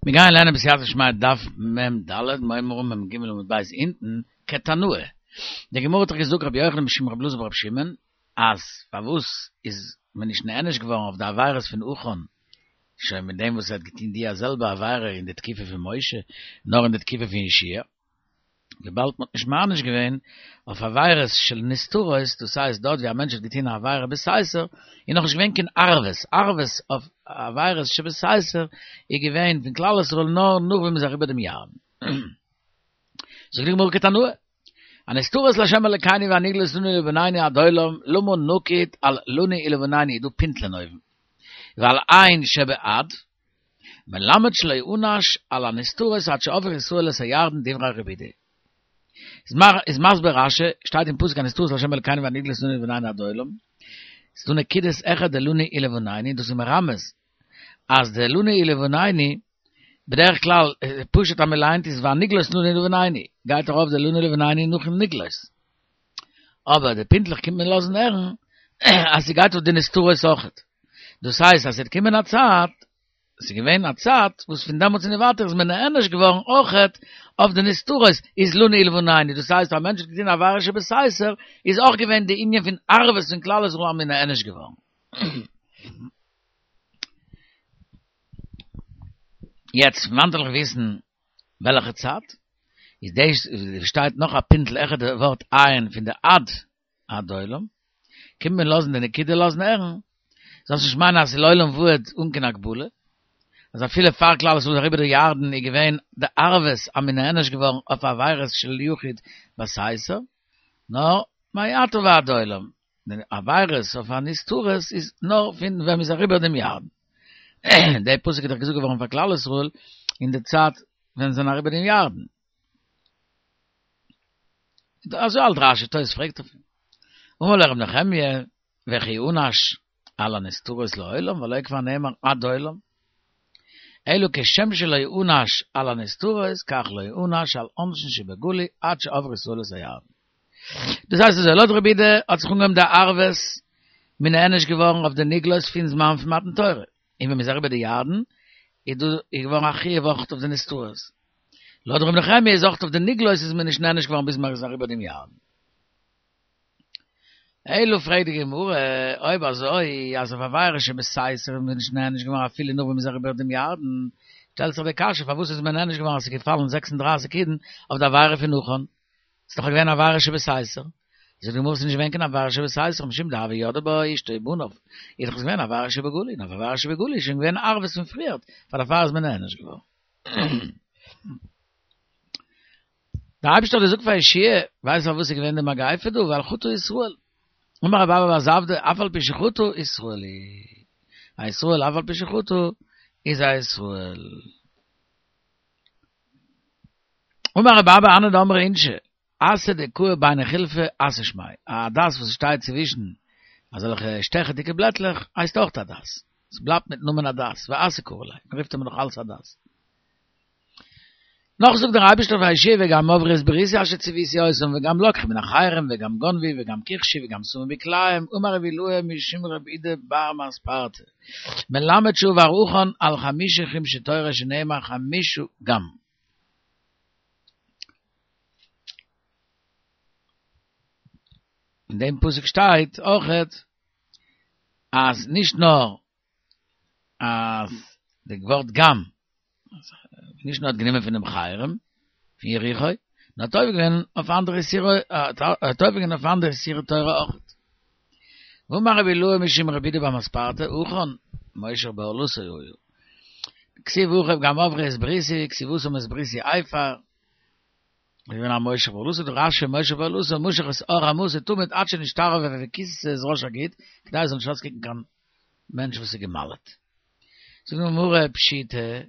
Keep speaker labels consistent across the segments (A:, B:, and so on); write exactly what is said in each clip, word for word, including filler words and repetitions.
A: מיר גייען לערנען בסייעתא דשמיא דף מ ד, מורה מ ג עמוד ב' אונטן, כתנאי. די גמרא האט דאך געזאגט רבי יוחנן משום רבי אלעזר ברבי שמעון, אז פארוואס איז מען נישט נענש געווארן אויף די עבירות פון עכן, שוין מיט דעם וואס ער האט געטון די זעלבע עבירה אין די תקופה פון משה, נאר אין די תקופה פון יהושע וויבאלד מ'האט נישט מעניש געווען אויף עבירות של נסתרות, דאס הייסט דארט ווי א מענטש האט געטון א עבירה בסתר, איז נאכנישט געווען קיין ערבות, ערבות אויף עבירות שבסתר איז געווען פון כלל ישראל נאר נאך ווען מ'איז אריבער דעם ירדן. זאגט די גמרא כתנאי, הנסתרות לה' אלקינו והנגלות לנו ולבנינו עד עולם, למה נקוד על לנו ולבנינו, איז דא פינטלען אויבן, ועל עין שבעד, מלמד שלא הוענש על הנסתרות עד שעברו ישראל את הירדן דברי רבי יהודה. איז מסביר רשי, שטייט אין פסוק הנסתרות לה' אלקינו והנגלות לנו ולבנינו עד עולם, ס'איז דא נקודות העכער די לנו ולבנינו, דאס איז מרמז אז די לנו ולבנינו, בדרך כלל פשוט אז מ'ליינט איז והנגלות לנו ולבנינו, גייט ארויף די לנו ולבנינו נאכן נגלות. אבער די פינטלעך קומט מען לאזן הערן אז ס'גייט אויף די נסתרות אויכעט. דאס הייסט אז ס'וועט קומען א צייט, ס'איז געווען א צייט וואס פון דעמאלטס און ווייטער איז מען נענש געווארן אויכעט אויף די נסתרות, איז לנו ולבנינו, דאס הייסט א מענטש האט געטון עבירה שבסתר, איז אויך געווען די ענין פון ערבות פון כלל ישראל אז מ'איז נענש געווארן. יעצט פון וואנעט וועל איך וויסן וועלכע צייט? איז דאס שטייט נאך א פינטל העכער די ווארט עין פון די עד עד עולם, קומט מען לאזן די נקודה לאזן הערן, זאלסט נישט מיינען אז ס'איז לעולם ועד אן קיין הגבלה, אז אפילו פאר כלל ישראל איז אריבער די ירדן איז געווען די ערבות אז מ'איז נענש געווארן אויף עבירות של יחיד בסתר, נאר מעתה ועד עולם, די עבירות אויף הנסתרות איז נאר פון ווען מ'איז אריבער דעם ירדן. די פסוק איז דאך געזאגט געווארן פאר כלל ישראל אין די צייט ווען זיי זענען אריבער דעם ירדן. אזוי האלט רשי, תוס' פרעגט אויף אים. אמר לו ר' נחמיה, וכי יענש על הנסתרות לעולם והלא כבר נאמר עד עולם? אלא כשם שלא יענש על הנסתרות כך לא יענש על עונשין שבגלוי עד שעברו ישראל את הירדן. דאס הייסט אזוי, לויט רבי יהודה האט זיך אנגעהויבן די ערבות מ'איז נענש געווארן אויף די נגלות פון זמן פון מתן תורה, און ווען מ'איז אריבער די ירדן איז דא איז געווארן א חיוב אויך אויף די נסתרות. לויט רבי נחמיה איז אויך אויף די נגלות איז מען נישט נענש געווארן ביז מען איז אריבער דעם ירדן. אלא פרעגט די גמרא, אויב אזוי אז אויף עבירה שבסתר איז מען נישט נענש געווארן אפילו נאך ווען מען איז אריבער דעם ירדן, שטעלט זיך די קשיא פארוואס איז מען נענש געווארן אז ס'איז געפאלן זעקס און דרײַסיק אידן אויף די עבירה פון עכן? ס'איז דאך געווען עבירה שבסתר. זאגט די גמרא ס'איז נישט געווען קיין עבירה שבסתר משום דהוו ידעי בה אשתו ובניו, איז דאך עס געווען עבירה שבגלוי, און אויף עבירה שבגלוי איז שוין געווען ערבות פון פריערט, פאר דערפאר איז מען נענש געווארן. דער אייבערשטער האט געזאגט פאר יהושע ווייסט פארוואס איז געווען די מגיפה דא? ווייל חטא ישראל. אמר רב אבא בר זבדא, אף על פי שחטא ישראל הוא. א ישראל אף על פי שחטא איז א ישראל. אמר רב אבא הני דאמרי אינשי, אסא דקאי ביני חילפי אסא שמיה, א הדס וואס שטייט צווישן אזעלכע שטעכעדיגע בלעטלעך הייסט אויך הדס, עס בלייבט מיטן נאמען הדס, ואסא קרי ליה, מען רופט אים נאך אלץ הדס. נאך זאגט דער אייבערשטער פאר יהושע וגם עברו את בריתי אשר ציוויתי אותם וגם לקחו מן החרם וגם גנבו וגם כחשו וגם שמו בכלאיים אמר רבי אילעאי משום רבי אידי בר מספרתא מלמד שעבר עכן על חמשה חומשי תורה שנאמר חמשה גם. אין דעם פסוק שטייט אויכעט אז נישט נאר אז די ווארט גם נישט נאר האט גענומען פונעם חרם פון יריחו, נאר האט עובר געווען אויף אנדערע איסורי, האט עובר געווען אויף אנדערע איסורי תורה אויכעט. ואמר רבי אילעאי משום רבי אידי בר מספרתא, עכן, מושך בערלתו היה. כתיב הכא וגם עברו את בריתי, כתיב התם את בריתי הפר. איז געווען א מושך בערלתו, זאגט רש"י מושך בערלתו, משך את עור עמתו תמיד עד שנשתרבב וכיסה את ראש הגיד, כדי עס זאל נישט אויסקוקן קיין מענטש וואס איז גע'מל'ט. זאגט די גמרא פשיטא,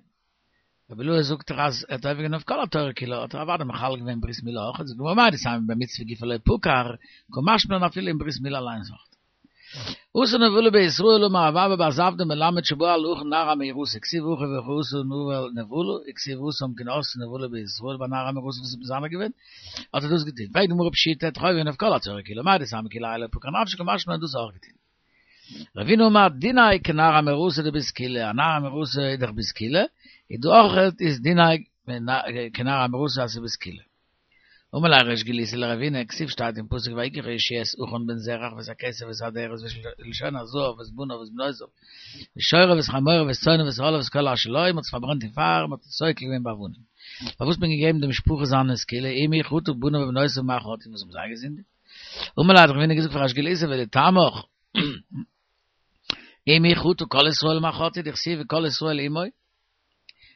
A: רבי אילעאי זאגט דאך אז ער האט עובר געווען אויף כל התורה כולה, האט ער אוודאי מחלל געווען ברית מילה אויך, זאגט די גמרא מהו דתימא במצוה גופא לא פקר, קא משמע לן אפילו אין ברית מילה אליינס אויך. עשה נבלה בישראל אמר רב אבא בר זבדא מלמד שבא על עכן נער המאורסה כתיב הכא וכי עשה נבל נבלה וכתיב התם כי עשתה נבלה בישראל ביי נערה המאורסה וואס איז מזנה געווען האט ער דאס געטון פרעגט די גמרא פשיטא ער האט עובר געווען אויף כל התורה כולה מהו דתימא כולי האי לא פקר נפשיה קא משמע לן דאס אויך געטון. רבינא אמר דיניה כנערה המאורסה דבסקילה, א נערה המאורסה איז דאך בסקילה, איז דא אויך איז דינו כנער המאורסה אז ס'איז בסקילה. אמר ליה ריש גלותא לרבינא, כתיב שטייט אין פסוק ויקח יהושע את עכן בן זרח ואת הכסף ואת האדרת ואת לשון הזהב ואת בניו ואת בנותיו ואת שורו ואת חמורו ואת צאנו ואת אהלו ואת כל אשר לו, מ'האט עס פארברענט אין פייער, מ'האט עס סוקל געווען באבנים. פארוואס האט מען געגעבן די משפחה זיינע סקילה, אי מי חטאו בניו ובנותיו מה חטאו, וואס האבן זיי געזינדיגט? אמר ליה האט רבינא געזאגט פאר ריש גלותא ולטעמיך אי מי חטאו כל ישראל מה חטאו דכתיב וכל ישראל עמו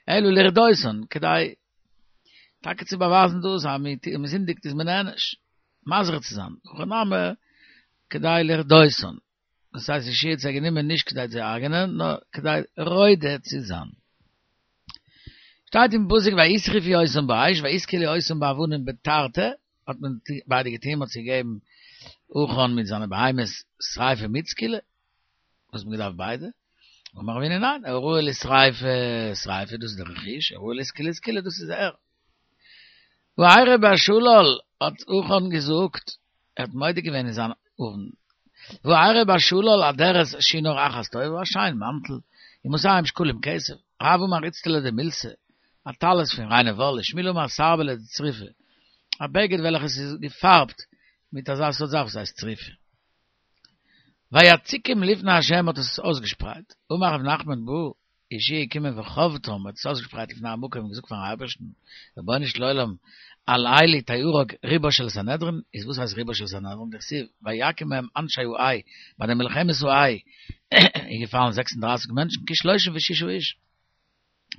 A: אלא לרדותן כדי טאקע צו באווייזן דאס אז מען זינדיגט איז מען נענש מזהיר צו זיין הכא נמי כדי לרדותן דאס הייסט יהושע האט זיי גענומען נישט כדי צו הרג'נען נאר כדי רודה צו זיין. שטייט אין פסוק וישרפו אותם באש ויסקלו אותם באבנים בתרתי האט מען ביידע געטון מען האט זיי געגעבן עכן מיט זיינע בהמות שריפה מיט סקילה וואס מען געדארפט ביידע אמר רבינא ניין הראוי לשריפה שריפה דאס איז דער רכוש הראוי לסקילה סקילה דאס איז ער וארא בשלל האט עכן געזאגט ער האט מודה געווען אין זיין עוון וארא בשלל אדרת שינר אחת טובה א שיין מאנטל ומאתים שקלים כסף רב אמר אצטלא דמילתא א טלית פון ריינע וואל ושמואל אמר סרבלא דצריפי א בגד וועלכעס איז געפארבט מיט אזא סארט זאך וואס הייסט צריפה. ויציקם לפני ה' האט עס אויסגעשפרייט, אמר רב נחמן בא יהושע געקומען וחבטם האט עס אויסגעשפרייט לפני המקום און געזאגט פארן אייבערשטן, רבונו של עולם, על אלו תהרג רובה של סנהדרין, איז וואס הייסט רובה של סנהדרין, דכתיב ויכו בהם אנשי העי, ביי די מלחמת העי איז געפאלן זעקס און דרײַסיק מענטשן, כשלושים ושישה איש.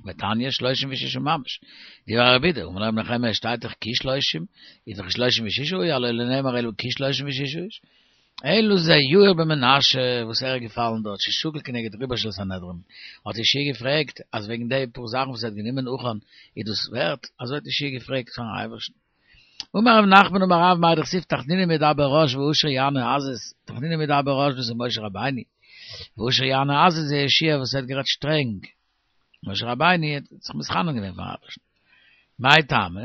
A: ותניא שלושים ושישה ממש. דברי רבי יהודה, אמר לו רבי נחמיה שטייט דאך כשלושים, איז דאך שלושים ושישה הוא, הלא לא נאמר אלא כשלושים ושישה איש. אלא זה יאיר בן מנשה וואס ער איז געפאלן דארט ששקול כנגד רובה של סנהדרין. האט יהושע געפרעגט אז וועגן די פאר זאכן וואס ער האט גענומען עכן איז דאס ווערט? אזוי האט יהושע געפרעגט פארן אייבערשטן. אמר רב נחמן אמר רב מאי דכתיב תחנונים ידבר רש ועשיר יענה עזות, תחנונים ידבר רש דאס איז משה רבינו, ועשיר יענה עזות איז יהושע וואס ער האט גערעדט שטרענג. משה רבינו האט זיך מתחנן געווען פארן אייבערשטן. מאי טעמא?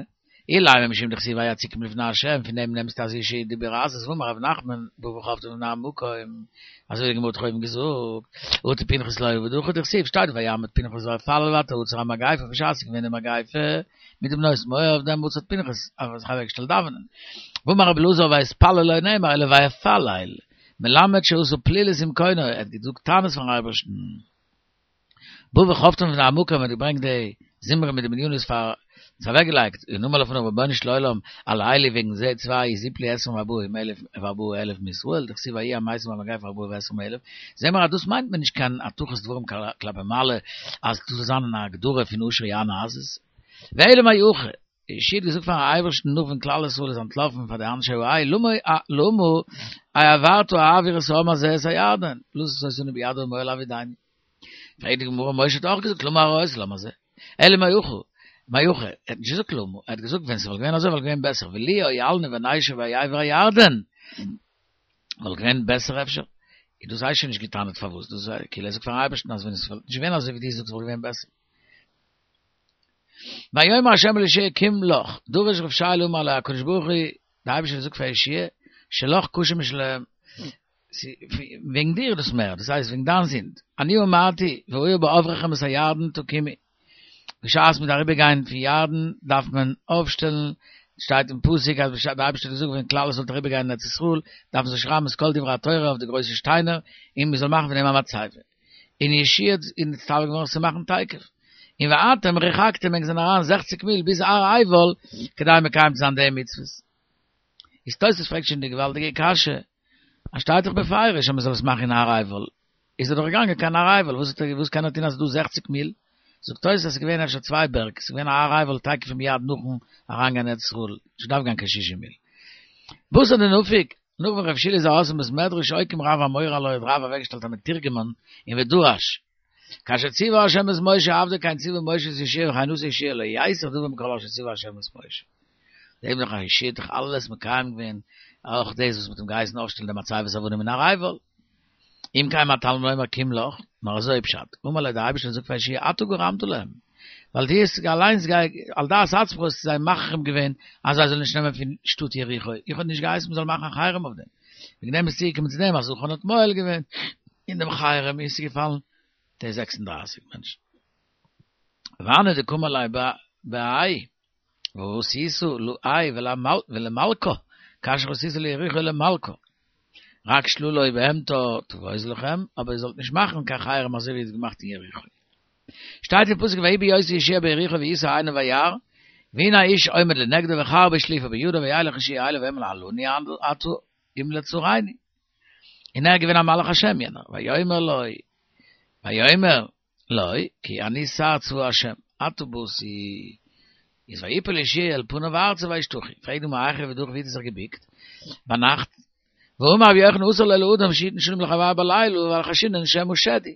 A: אילימא משום דכתיב ויציקם לפני ה', פון דעם נעמסטו אז יהושע דיבר עזות, והאמר רב נחמן, בא וחבטם לפני המקום, אזוי ווי די גמרא האט אויבן געזאגט, אטו פנחס לא עביד הכי דכתיב, שטייט ויעמד פנחס ויפלל ותעצר המגיפה, בשעת ס'איז געווען די מגיפה מיט די בנות מואב, דעמאלטס האט פנחס זיך אוועקגעשטעלט דאווענען. והאמר רבי אלעזר ויתפלל לא נאמר אלא ויפלל, מלמד שעשה פלילות עם קונו, ער האט געזאגט טענות פארן אייבערשטן. בא וחבטם לפני המקום האט געברענגט די זמרי מיט די מדינית פאר עס אוועק געלייגט און אמר לפניו רבונו של עולם על אלו וועגן זיי צוויי איז יפלו עשרים וארבעה אלף וארבעה אלף מישראל דכתיב ויהיו המתים במגפה ארבעה ועשרים אלף זעהן מיר אז דאס מיינט מען נישט קיין הטחת דברים כלפי מעלה אז דאס זאל זיין אן הגדרה פון עשיר יענה עזות ואלא מאי הכא יהושע האט געזאגט פארן אייבערשטן נאך ווען כלל ישראל איז אנטלאפן פאר די אנשי העי, למה למה העברת העביר את העם הזה את הירדן, לתת אותנו ביד האמורי להאבידנו. פרעגט די גמרא, משה האט אויך געזאגט למה הרעותה לעם הזה, אלא מאי הכא, מאי הכא, ער האט נישט געזאגט למה, ער האט געזאגט ווען ס'וואלט געווען אזוי וואלט געווען בעסער, ולו הואלנו ונשב בעבר הירדן, וואלט געווען בעסער אפשר? איז דאס הייסט שוין נישט געטענה'ט פארוואס, דאס איז כאילו ער זאגט פארן אייבערשטן אז ווען עס וואלט נישט געווען אזוי ווי דו זאגסט וואלט געווען בעסער. ויאמר ה' אל יהושע קום לך, דרש רב שילא אמר לו הקדוש ברוך הוא, דער אייבערשטער האט געזאגט פאר יהושע, שלך קשה משלהם, וועגן דיר איז דאס מער, דאס הייסט וועגן דיין זינד, אני אמרתי, והיה בעברכם את הירדן תקימו, בשעת מ'דארף אריבער גיין פון ירדן דארף מען אויפשטעלן, שטייט אין פסוק אז בשעת דער אייבערשטער האט געזאגט ווען כלל ישראל זאל אריבער גיין אין ארץ ישראל דארף מען זיי שרייבן את כל דברי התורה אויף די גרויסע שטיינער און מען זאל מאכן פון דעם א מצבה. און יהושע איז נצטווה געווארן עס צו מאכן תיכף. און ואתם רחקתם ענק זענען אריין זעכציק מיל ביז הר עיבל כדי מקיים צו זיין די מצוות. איז תוספות פרעגט שוין די געוואלדיגע קשיא, אז שטייט דאך בפירוש אז מען זאל עס מאכן אין הר עיבל, איז ער דאך געגאנגען קיין הר עיבל, וואס האט ער וואס קען ער טון אז ס'איז דא זעכציק מיל? זאגט תוספות אז ס'איז געווען אפשר צוויי בערג, ס'איז געווען א הר עיבל תיכף ומיד נאכן אריינגיין ארץ ישראל, נישט געדארפט גיין קיין שישים מיל. בתר דנפק, נאך ווען רב שילא איז ארויס פון בית מדרש אוקים רב אמורא עילויה האט רב אוועקגעשטעלט א מתורגמן און ודרש כאשר ציווה ה' את משה עבדו כן ציווה משה את יהושע וכן עשה יהושע לא יסף דבר מכל אשר ציווה ה' את משה. זעהט מען דאך אז יהושע האט דאך אלעס מקיים געווען אויך דאס וואס מ'האט אים געהייסן אויפשטעלן די מצבת אבנים אין הר עיבל. אם כן מה תלמוד לומר קום לך, נאר אזוי פשט, אמר לו דער אייבערשטער זאגט פאר יהושע אתה גרמת להם, ווייל דו האסט אליינס על דעת עצמך האסטו זיי מחרים געווען אז זיי זאלן נישט נעמען פון שטאט יריחו, איך האב נישט געהייסן מען זאל מאכן א חרם אויף דעם, וועגן דעם איז צוגעקומען צו דעם אז עכן האט מועל געווען אין דעם חרם און עס איז געפאלן די זעקס און דרײַסיק מענטשן. והני דקאמר ליה בהאי ועשית לאי ולמלכא כאשר עשית ליריחו ולמלכה. רק שלולו בהמתו תבוז לכם, אבער איר זאלט נישט מאכן קיין חרם אזוי ווי איר האט געמאכט אין יריחו. שטייט אין פסוק ויהי בהיות יהושע ביריחו וישא עיניו וירא, והנה האיש עומד לנגדו וחרבו שלופה בידו וילך יהושע אליו ויאמר הלנו אתה אם לצורני. און ער איז געווען א מלאך השם יענער, ויאמר לו, ויאמר לו, כי אני שר צבא השם, אתה באתי. איז ויפל יהושע אל פניו ארצה וישתחו. פרעגט די גמרא היכי עביד הכי ווי האט ער זיך געביקט ביינאכט? והאמר רבי יוחנן אסור לו לאדם שיתן שלום לחברו בלילה ווייל חיישינן שמא שד הוא.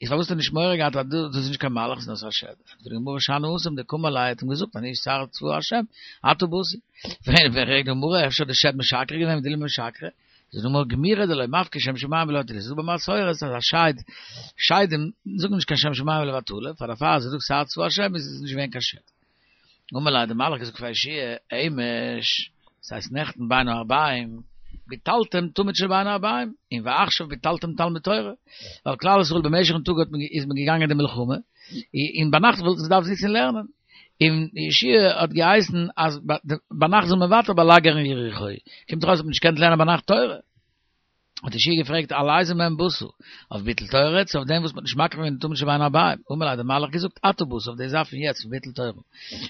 A: איז פארוואס האט ער נישט מורא געהאט אז דאס איז נישט קיין מלאך ס'איז נאר א שד? ענטפערט די גמרא שאני התם דקאמר ליה האט אים געזאגט אני שר צבא השם אתה באתי. פרעגט די גמרא אפשר האט די שד משקר געווען ודילמא משקרי? זאגט די גמרא גמירי דלא מפקי שם שמים לבטלה ס'איז דא במסורת אז א שד שדים זאגן נישט קיין שם שמים לבטלה פאר דערפאר אז ער זאגט שר צבא השם איז עס נישט געווען קיין שד. אמר ליה האט די מלאך געזאגט פאר יהושע אמש ס'הייסט נעכטן בין הערביים ביטלתם תמיד של בין הערביים און ועכשיו ביטלתם תלמוד תורה ווייל כלל ישראל במשך'ן טאג האט מען איז מען געגאנגען די מלחמה און ביינאכט וואלטן זיי געדארפט זיצן לערנען און יהושע האט געהייסן אז ביינאכט זאל מען ווייטער באלאגערן יריחו קומט דאך אויס האט מען נישט געקענט לערנען ביינאכט תורה. האט יהושע געפרעגט על איזה מהם באת, אויף ביטול תורה צו אויף דעם וואס מ'האט נישט מקריב געווען די תמיד של בין הערביים, אמר ליה האט דער מלאך געזאגט אתה באת אויף די זאך פון יעצט פון ביטול תורה.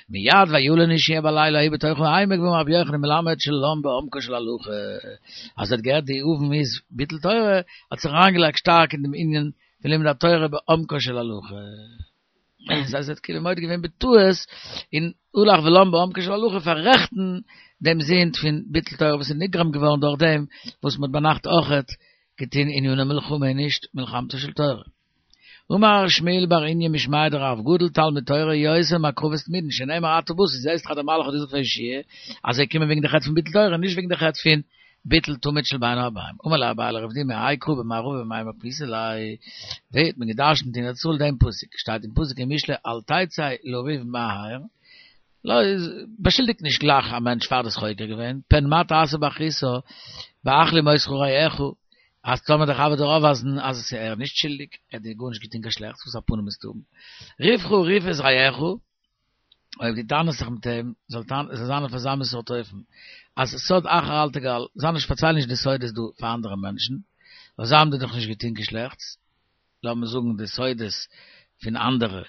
A: מיד וילן יהושע בלילה ההוא בתוך העמק ואמר רבי יוחנן מלמד שלן בעומקה של הלכה, אז ער האט געהערט די עוון איז ביטול תורה, האט זיך אריינגעלייגט שטארק אין דעם ענין פון לימוד התורה בעומקה של הלכה. דאס הייסט ער האט כאילו מודה געווען בטעות און הלך ולן בעומקה של הלכה פאררעכטן דעם זינד פון ביטול תורה וואס איז נגרם געווארן דורך דעם וואס מ'האט ביינאכט אויכעט געטון עניני מלחמה און נישט מלחמתה של תורה. אמר שמואל בר איניא משמיה דרב גדול תלמוד תורה יותר מהקרבת תמידין שנאמר אתה באת זעסט דאך אז דער מלאך האט געזאגט פאר יהושע אז זיי קומען וועגן די חטא פון ביטול תורה נישט וועגן די חטא פון ביטול תמיד של בין הערביים. אמר ליה אביי לרב דימי האי קרא במערבא במאי מפניתו ליה, ווי האט מען געדרשנט אין ארץ ישראל דעם פסוק, שטייט אין פסוק אין משלי אל תצא לריב מהר, לא, באשולדיג נישט גלייך א מענטש פאר דו האסט חוקר געווען, פן מה תעשה באחריתה, באחלים אותך רעך, אז טאמער דער חבר וועט דיר אויפווייזן אז ער איז נישט שולדיג, ער האט דיר גארנישט געטון קיין שלעכטס, וואס א פנים וועסטו האבן? ריבך ריב את רעך. אויב דו טענה'סט זיך מיט אים, זאל זיין אויף אזא מין סארט אופן, אז סוד אחר אל תגל, זיי נישט פארצייל נישט די סודות דא פאר אנדערע מענטשן, ווייל זיי האבן דיר דאך נישט געטון קיין שלעכטס, לאמיר זאגן די סודות פון אנדערע,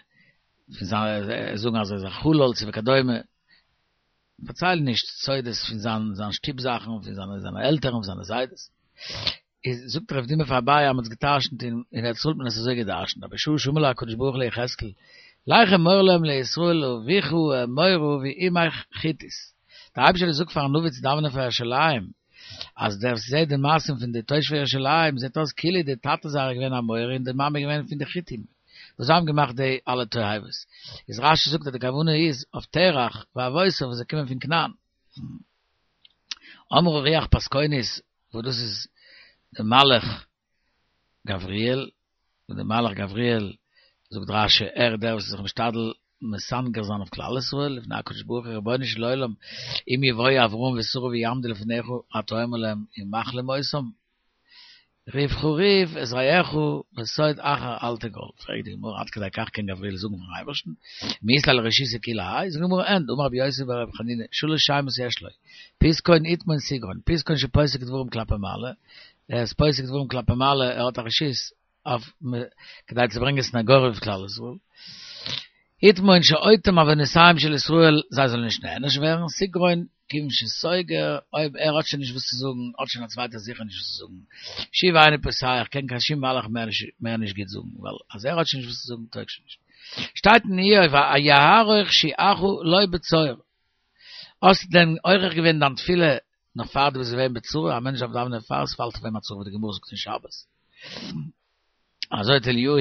A: פון זיי זאגן אז ער איז א חלל צו וכדומה, פארצייל נישט סודות פון זיין זיין שטוב זאכן, פון זיינע זיינע עלטערן, פון זיינע זיידעס. איז זאגט רב דימי פאר אביי אז מען האט עס גע'דרש'נט אין אין ארץ ישראל האט מען עס אזוי גע'דרש'נט אבער בשעה שאמר לו הקדוש ברוך הוא ליחזקאל לך אמור להם לישראל אביך האמורי ואמך חתית דער אייבערשטער האט געזאגט פארן נביא צו דאווענען פאר ירושלים אז דער וואס זעט די מעשים פון די תושבי ירושלים זעט אויס כאילו די טאטע זייער איז געווען א אמורי און די מאמע איז געווען פון די חתים וואס זיי האבן געמאכט די אלע תועבות איז רשי זאגט אז די כוונה איז אויף תרח ואבותיו וואס זיי קומען פון כנען אמרה רוח פסקונית וואס דאס איז די מלאך גבריאל, און די מלאך גבריאל זאגט רשי ער איז דער וואס איז זיך משתדל מסנגר זיין אויף כלל ישראל לפני הקדוש ברוך הוא רבונו של עולם אם יבואו אברהם ושרה ויעמדו לפניך אתה אומר להם ומכלים אותם ריבך ריב את רעך וסוד אחר אל תגל, פרעגט די גמרא עד כדי כך קען גבריאל זאגן פארן אייבערשטן מי אית ליה לרשותא כולי האי, זאגט די גמרא אין, דאמר רבי יוסי ברבי חנינא שלש שמות יש לו, פיתקון איתמון סגרון, פיתקון שפוסק דברים כלפי מעלה, ער איז פוסק דברים כלפי מעלה, ער האט א רשות אויף כדי צו ברענגען סניגוריה אויף כלל ישראל, איתמון שאוטם עוונותיהם של ישראל זיי זאלן נישט נענש ווערן, סגרון כיוון שסוגר, אויב ער האט שוין נישט וואס צו זאגן, האט שוין א צווייטער זיכער נישט וואס צו זאגן, שוב אינו פותח, קען קיין שום מלאך מער נישט גוט זאגן, ווייל אז ער האט שוין נישט וואס צו זאגן טויג שוין נישט. שטייט אין איוב היערוך שועך לא בצור. האסט דען עורך געווען דיין תפילה נאך פאר דו ביסט געווען בצרה? א מענטש דארף דאווענען פאר עס פאלט אויף אים א צרה ווי די גמרא זאגט אין שבת. אזוי האט אליהו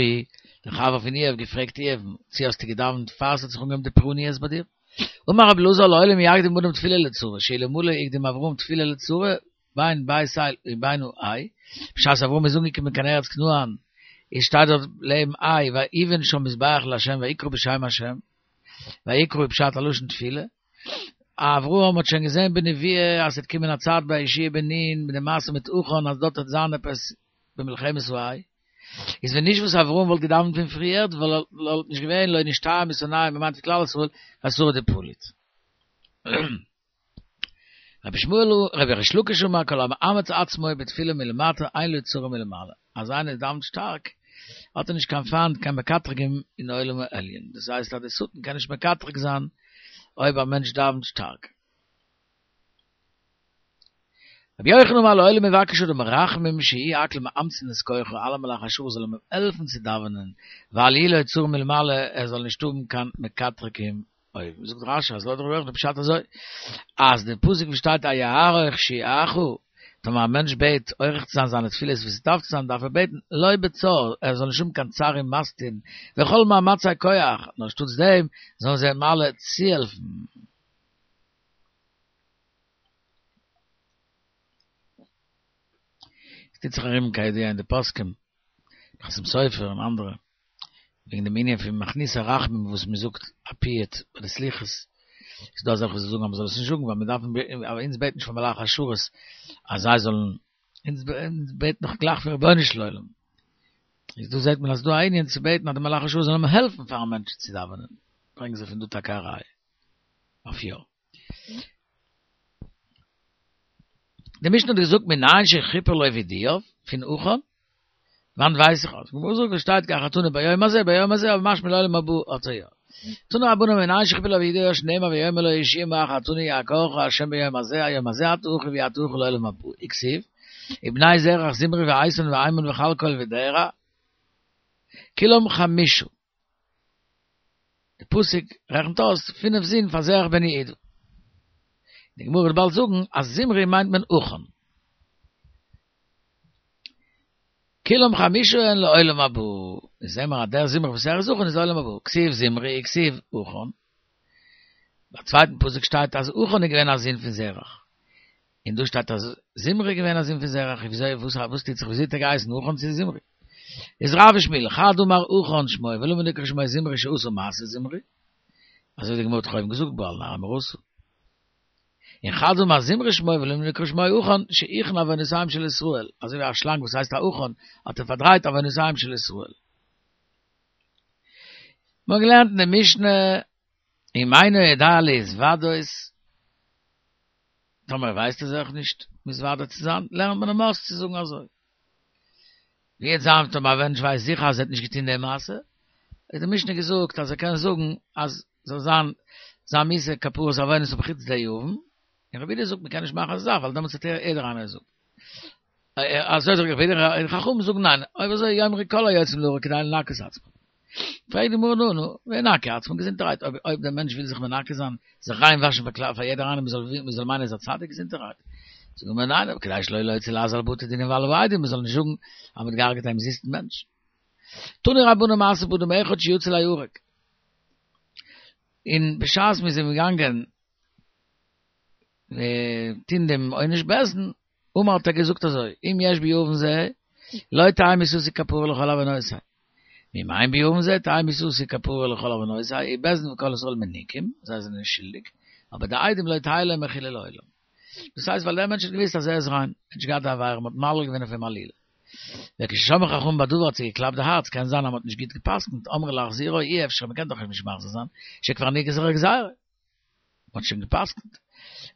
A: דער חבר פון איוב געפרעגט איוב'ן, צו האסטו געדאווענט פאר עס האט זיך אנגעהויבן די פורעניות ביי דיר? אמר רבי אלעזר לעולם יקדים אדם תפילה לצרה, שאלמלא הקדים אברהם תפילה לצרה, בין בית אל ובין העי, בשעת אברהם איז אנגעקומען קיין ארץ כנען, איז שטייט דארט לעבן עי, ויבן שם מזבח לה' ויקרא בשם ה', ויקרא איז פשט א לשון תפילה, אברהם האט שוין געזען בנביאה אז ס'וועט קומען א צייט ביי יהושע בן נון מיט די מעשה מיט עכן אז דארט וועט זיין עפעס במלחמת העי, איז ווען נישט וואס אברהם וואלט געדאווענט פון פריערט, וואלט נישט געווען לא נשתייר משונאיהם, מ'מיינט כלל ישראל, ואתרא דפליט. רבי שמואל, רבי ריש לקיש אמר כל המאמץ עצמו בתפילה מלמטה אין לו צרה מלמעלה, אז איינער דאווענט שטארק האט ער נישט קיין פיינט קיין מקטרגים אין עולם העליון, דאס הייסט אז די שטן קען נישט מקטרג זיין אויב א מענטש דאווענט שטארק. רבי יוחנן אמר לעולם יבקש אדם רחמים שיהיו הכל מאמצין את כוחו, אלע מלאכי השרת זאלן אים העלפן צו דאווענען, ואל יהיה לו צרה מלמעלה, ער זאל נישט האבן קיין מקטרגים אויבן. זאגט רש"י אז לויט רבי יוחנן פשט אזוי, אז די פסוק וואס שטייט היערוך שיעך, טאמער א מענטש בעט עורך צו זיין זיינע תפילות ווי ס'דארף צו זיין דארף ער בעטן לא בצר, ער זאל נישט האבן קיין צר ומסטין וכל מאמצי כח, נאר שטאטס דעם זאלן זיי אים אלע צוהעלפן. עס טוט זיך ארום כידוע אין די פוסקים, חתם סופר און אנדערע, וועגן דעם ענין פון מכניסי רחמים וואס מען זאגט א פיוט ביי די סליחות, איז דא אזעלכע וואס זאגן אז מען זאל עס נישט זאגן ווייל מען דארף אבער אונז בעט נישט פון מלאכי השרת אז זיי זאלן, אונז בעט נאך גלייך פון רבונו של עולם, איז דא זעט מען אז ס'דא א ענין צו בעטן אז די מלאכי השרת זאלן העלפן פארן מענטש צו דאווענען, ברענגען זיי פון דא טאקע א ראיה אויף יא. די משנה האט געזאגט מנין שכיפר לו וידויו פון עכן, וואנעט ווייס איך אז גמרא זאגט עס שטייט כי חטאנו ביום הזה ביום הזה אבער משמע לעולם הבא האט ער יא. תנו רבנן מנין שכיפר לו וידויו שנאמר ויאמר לו יהושע מה חטאנו יעקרך ה' ביום הזה היום הזה אתה אחיי ואי אתה אחי לעולם הבא וכתיב ובני זרח זמרי ואיתן והימן וכלכל ודרע כולם חמשה די פסוק רעכנט אויס פינף זין פאר זרח בן יהודה. די גמרא וועט באלד זאגן אז זמרי מיינט מען עכן. כולם חמשה הן לעולם הבא. איז זעהן מיר אז דער זמרי וואס ער איז עכן איז לעולם הבא. כתיב זמרי וכתיב עכן. ביי צווייטן פסוק שטייט אז עכן איז געווען א זון פון זרח. און דא שטייט אז זמרי איז געווען א זון פון זרח, וויאזוי וואס וואס טוט זיך וויאזוי האט ער געהייסן עכן צו זמרי? איז רב ושמואל, חד אמר עכן שמו ולמה נקרא שמו זמרי שעשה מעשה זמרי? אזוי ווי די גמרא האט דאך אויבן געזאגט בעל נערה מאורסה. און חד אמר זמרי שמו ולמה נקרא שמו עכן שהכין עוונותיהם של ישראל, אזוי ווי א שלאנג וואס הייסט א עכן האט ער פארדרייט עוונותיהם של ישראל. מ'האט געלערנט אין די משנה אם אינו יודע להתוודות, טאמער ווייסט ער זיך נישט מתוודה צו זיין, לערנט מען אים אויס צו זאגן אזוי. ווי וועט זיין טאמער א מענטש ווייסט זיכער אז ער האט נישט געטון די מעשה, האט די משנה געזאגט אז ער קען זאגן אז זאל זיין זיין מיתה כפרת עוונות אויף חוץ די עוון, און רבי יהודה זאגט מען קען נישט מאכן אזא זאך ווייל דעמאלטס וועט ער יעדער איינער זאגן. אזוי זאגט רבי יהודה און חכמים זאגן ניין, אויב אזוי יאמרו כל היוצאים להורג כדי לנקות עצמם. פרעגט די גמרא נו נו, וינקה עצמו געזונטערהייט, אויב אויב דער מענטש וויל זיך מנקה זיין, זיך ריין וואשן פאר כלל פאר יעדער איינער מ'זאל מ'זאל מיינען ער איז א צדיק געזונטערהייט. זאגט די גמרא ניין, אבער כדי שלא להוציא לעז על בתי דין ועל העדים, מ'זאל נישט זאגן אז מ'האט געהארגעט א אומזיסטן מענטש. תנו רבנן מעשה באדם אחד שיצא ליהרג. און בשעת מ'איז אים געגאנגען טון דעם עונש בית דין, אמר האט ער געזאגט אזוי, אם יש בי עוון זה, לא תהא מיתתי כפרה לכל עוונותי. ואם אין בי עוון זה, תהא מיתתי כפרה לכל עוונותי, ובית דין וכל ישראל מנוכים, זיי זענען נישט שולדיג, אבער די עדים לא תהא להם מחילה לעולם. דאס הייסט ווייל דער מענטש האט געוואוסט אז ער איז ריין, ער האט נישט געהאט די עבירה, מען האט מעליל געווען אויף אים עלילה. וכששמעו חכמים בדבר האט זיי געקלאפט די הארץ, קען זיין אז מען האט נישט גוט גע'פסק'נט, אמרו להחזירו אי אפשר, מען קען דאך אים נישט מחזיר זיין, שכבר נגזרה גזירה. מ'האט שוין גע'פסק'נט.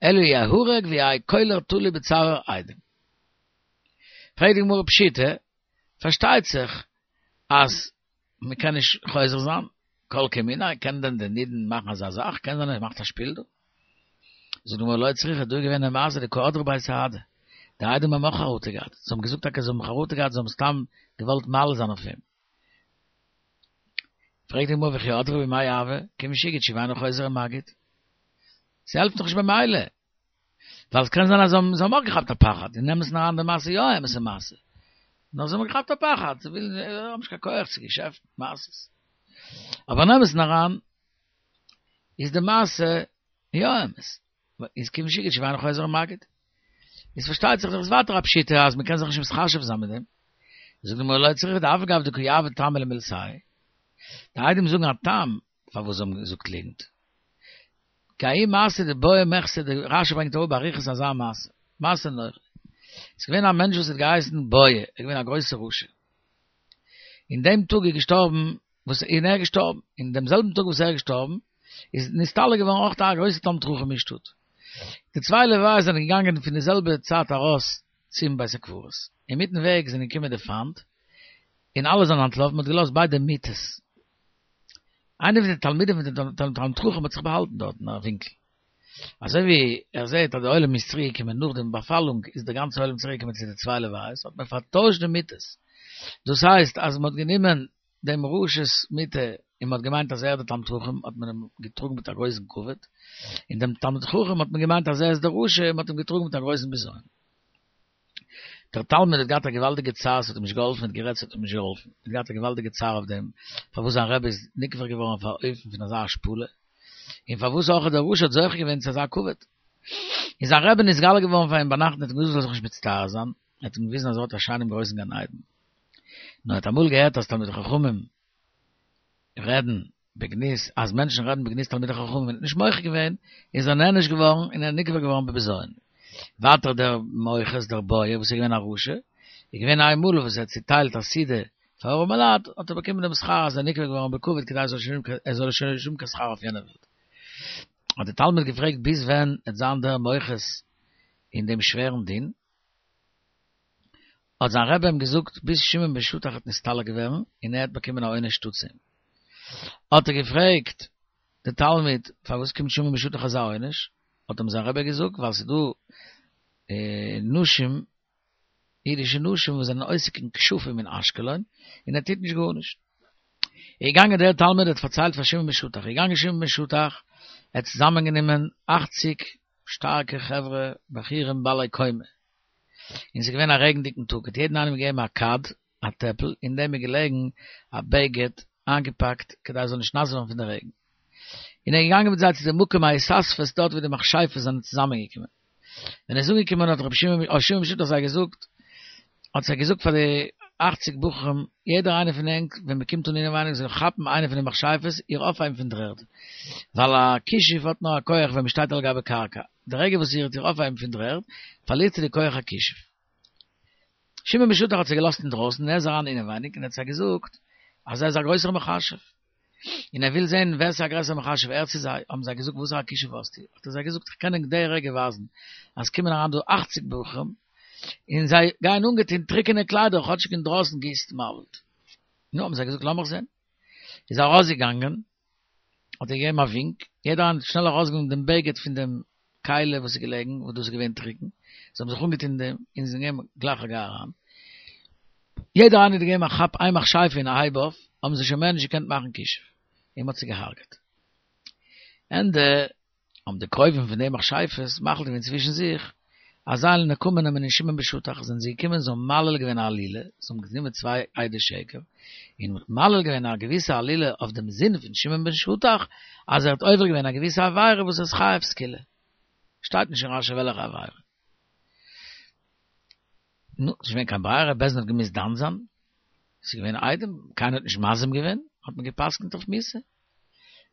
A: אלא יהרג ויהא קולר תלוי בצוואר עדים. פרעגט די גמרא פשיטא, פארשטייט זיך אז מ'קען נישט חוזר זיין, כל כמיניה, קען דען די נידון מאכן אזא זאך? קען זיין ער מאכט א שפיל דא? זאגט די גמרא לא צריכא, דא איז געווען א מעשה דקא הדרי ביה סהדי, די עדים האבן אויך חרטה געהאט, זיי האבן געזאגט טאקע זיי האבן חרטה געהאט, זיי האבן סתם געוואלט מעליל זיין אויף אים. פרעגט די גמרא וכי הדרי ביה מאי הוה, כיון שהגיד תשובה אינו חוזר ומגיד. ס'העלפט דאך נישט במילא. ווייל ס'קען זיין אז זיי האבן אויך געכאפט א פחד, אין אמת'ן אריין די מעשה יא א אמת'ע מעשה. נאר זיי האבן געכאפט א פחד, זיי ווילן, זיי האבן נישט קיין כח צו געשעפטן, מעשות. אבער אין אמת'ן אריין איז די מעשה יא אמת. איז כיון שהגיד תשובה אינו חוזר ומגיד. איז פארשטייט זיך דאך איז ווייטער א פשיטא אז מ'קען זיך נישט מתחשב זיין מיט דעם. זאגט די גמרא לא צריכא דאף על גב דקא יהבו טעמא למילתייהו. די עדים זאגן א טעם פארוואס זיי האבן געזאגט ליגנט. כי ההיא מעשה דבעי מחתא די רשי ברענגט אראפ באריכות אזא מעשה. מעשה נורא. ס'איז געווען א מענטש וואס האט געהייסן בועי, ער איז געווען א גרויסער רשע. אין דעם טאג איז געשטארבן, וואס און ער איז געשטארבן, אין דעם זעלבן טאג וואס ער איז געשטארבן, איז נסתלק געווארן אויך א גרויסע תלמיד חכם אין שטאט. די צוויי לוויות זענען געגאנגען פון די זעלבע צייט ארויס צום בית הקברות. אינמיטן וועג זענען געקומען די פיינט, און אלע זענען אנטלאפן, מען האט געלאזט ביידע מיטות. איינער פון די תלמידים פון דעם תלמיד חכם האט זיך באהאלטן דארט אין א ווינקל. אזוי ווי ער זעט אז די עולם איז צוריק געקומען נאך דעם באפאלונג איז די גאנצע עולם צוריק געקומען צו די צוויי לוויות האט מען פארטוישט די מיטות. דאס הייסט אז מען האט גענומען דעם רשע'ס מיטה און מען האט געמיינט אז ער איז דער תלמיד חכם האט מען אים געטראגן מיט א גרויסן כבוד, און דעם תלמיד חכם האט מען געמיינט אז ער איז דער רשע און מען האט אים געטראגן מיט א גרויסן בזיון. דער תלמיד האט געהאט א געוואלדיגע צער, ס'האט אים נישט געהאלפן, ער האט גערעדט ס'האט אים נישט געהאלפן, ער האט געהאט א געוואלדיגע צער אויף דעם פארוואס זיין רבי איז נקבר געווארן אויף א אופן פון אזא השפלה, און פארוואס אויך דער רשע האט זוכה געווען צו אזא כבוד. איז זיין רבי נתגלה געווארן פאר אים ביינאכט און האט אים געזאגט ער זאל זיך נישט מצטער זיין, ער האט אים געוויזן אז ער האט א שיינעם גרויסן גן עדן. נאר ער האט אמאל געהערט אז תלמידי חכמים רעדן בגנות, אז מענטשן רעדן בגנות תלמידי חכמים און האט נישט מוחה געווען, איז ער נענש געווארן און ער איז נקבר געווארן בבזיון. ווייטער דער מוכס, דער בויער וואס איז געווען א רשע, איז געווען איין מאל וואס ער האט צוטיילט א סעודה פאר ארעמע לייט, האט ער באקומען דעם שכר אז ער איז נקבר געווארן בכבוד כדי ער זאל שוין נישט האבן קיין שכר אויף יענער וועלט. האט דער תלמיד געפרעגט ביז ווען עט זיין דער מוכס אין דעם שווערן דין? האט זיין רבי אים געזאגט ביז שמעון בן שטח וועט נסתלק ווערן און ער האט באקומען א עונש שטאטס אים. האט ער געפרעגט די תלמיד פארוואס קומט שמעון בן שטח אזא עונש, האט אים זיין רבי געזאגט ווייל ס'איז דא נשים, אידישע נשים וואס זענען עוסק אין כשפים אין אשקלון און ער טוט נישט גארנישט. איז געגאנגען דער תלמיד האט פארציילט פאר שמעון בן שטח, איז געגאנגען שמעון בן שטח, ער האט צוזאמען גענומען אכציג שטארקע חברה בחורים בעלי קומה, און ס'איז געווען א רעגנדיגן טאג, האט יעדן איינעם געגעבן א כד, א טעפל, אין דעם איז געלעגן א בגד איינגעפאקט כדי עס זאל נישט נאס ווערן פון די רעגן. און ער איז געגאנגען מיט זיי צו די מקום ההתאספות דארט וואו די מכשפות זענען צוזאמען געקומען. ווען ער איז אנגעקומען האט רבי שמעון האט שמעון בן שטח זיי געזאגט, האט זיי געזאגט פאר די אכציג בחורים, יעדער איינער פון ענק ווען מען קומט אן אינעווייניג זאל כאפן איינע פון די מכשפות איר אויפהייבן פון דר'ערד, ווייל א כישוף האט נאר א כח ווען מען שטייט על גבי קרקע, די רגע וואס איר וועט איר אויפהייבן פון דר'ערד, פארלירט זי די כח הכישוף. שמעון בן שטח האט זיי געלאזט אינדרויסן און ער איז אריין אינעווייניג און ער האט זיי געזאגט אז ער איז א גרויסער מכשף און ער וויל זען ווער ס'איז א גרעסערע מכשף ער צו זיי, האבן זיי געזאגט וואסערע כישוף האסטו? האט ער זיי געזאגט איך קען ענק די רגע ווייזן אז ס'קומען אריין דא אכציג בחורים און זיי גייען אנגעטון טרוקענע קליידער כאטשיג אינדרויסן גיסט מבול. נו האבן זיי געזאגט לאמיך זען. איז ער ארויסגעגאנגען האט ער געגעבן א ווינק, יעדער איינער האט שנעל ארויסגענומען דעם בגד פון דעם כלי וואס איז געלעגן, וואס דאס איז געווען טרוקן, זיי האבן זיך אנגעטון דעם, און זיי געגעבן גלייך א גיי אריין. יעדער איינער האט געגעבן א כאפ איין מכשפה און א הייב אויף, האבן זיי שוין מער נישט געקענט מאכן כישוף, און מ'האט זיי געהארגעט. ענדע האבן די קרובים פון די מכשפות מחליט געווען צווישן זיך אז זיי וועלן נקמה נעמען אין שמעון בן שטח, זענען זיי געקומען זיי האבן מעליל געווען א עלילה, זיי האבן גענומען צוויי עדי שקר, און מ'האט מעליל געווען א געוויסע עלילה אויף דעם זון פון שמעון בן שטח, אז ער האט עובר געווען א געוויסע עבירה וואס איז חייב סקילה. שטייט נישט אין רשי וועלכע עבירה. נו, ס'איז נישט געווען קיין ברירה, בית דין האט געמוזט דן זיין, ס'איז געווען עדים, קיינער האט נישט מזים געווען, האט מען גע'פסק'נט אויף מיתה.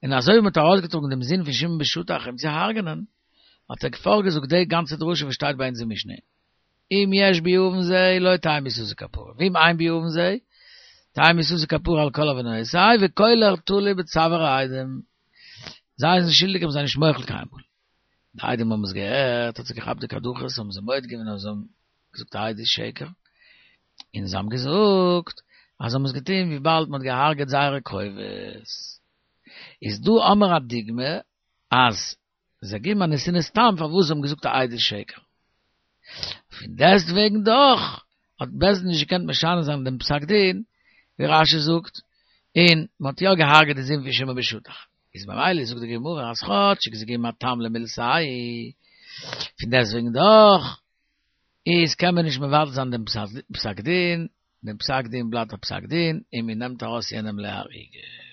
A: און אזוי ווי מ'האט ארויסגעטראגן דעם זון פון שמעון בן שטח אים צו הרג'נען, האט ער פארגעזאגט די גאנצע דרשה וואס שטייט ביי אונז אין משנה, אם יש בי עוון זה לא תהא מיתתי כפרה, ואם אין בי עוון זה, תהא מיתתי כפרה על כל עוונותי, וקולר תלוי בצוואר העדים. זיי זענען שולדיג איך בין זיי נישט מוחל קיינמאל. די עדים האבן עס געהערט, האט זיי געכאפט די קדחות, האבן זיי מודה געווען אז זיי האבן געזאגט א עדות שקר, און זיי האבן געזאגט אז זיי האבן עס געטון וויבאלד מען האט געהארגעט זייערע קרובות. איז דא האמיר א דוגמא אז זיי גיבן א נתינת טעם פארוואס זיי האבן געזאגט א עדות שקר. פון דעסט וועגן דאך האט בית דין נישט געקענט משנה זיין דעם פסק דין, ווי רשי זאגט, און מען האט יא געהארגעט די זון פון שמעון בן שטח. איז ממילא זאגט די גמרא אז כאטשיג זיי געבן א טעם למילתייהו, פון דעסט וועגן דאך איז קען מען נישט מבטל זיין דעם פסק דין, דעם פסק דין בלייבט א פסק דין און מען נעמט ארויס יענעם להריגה.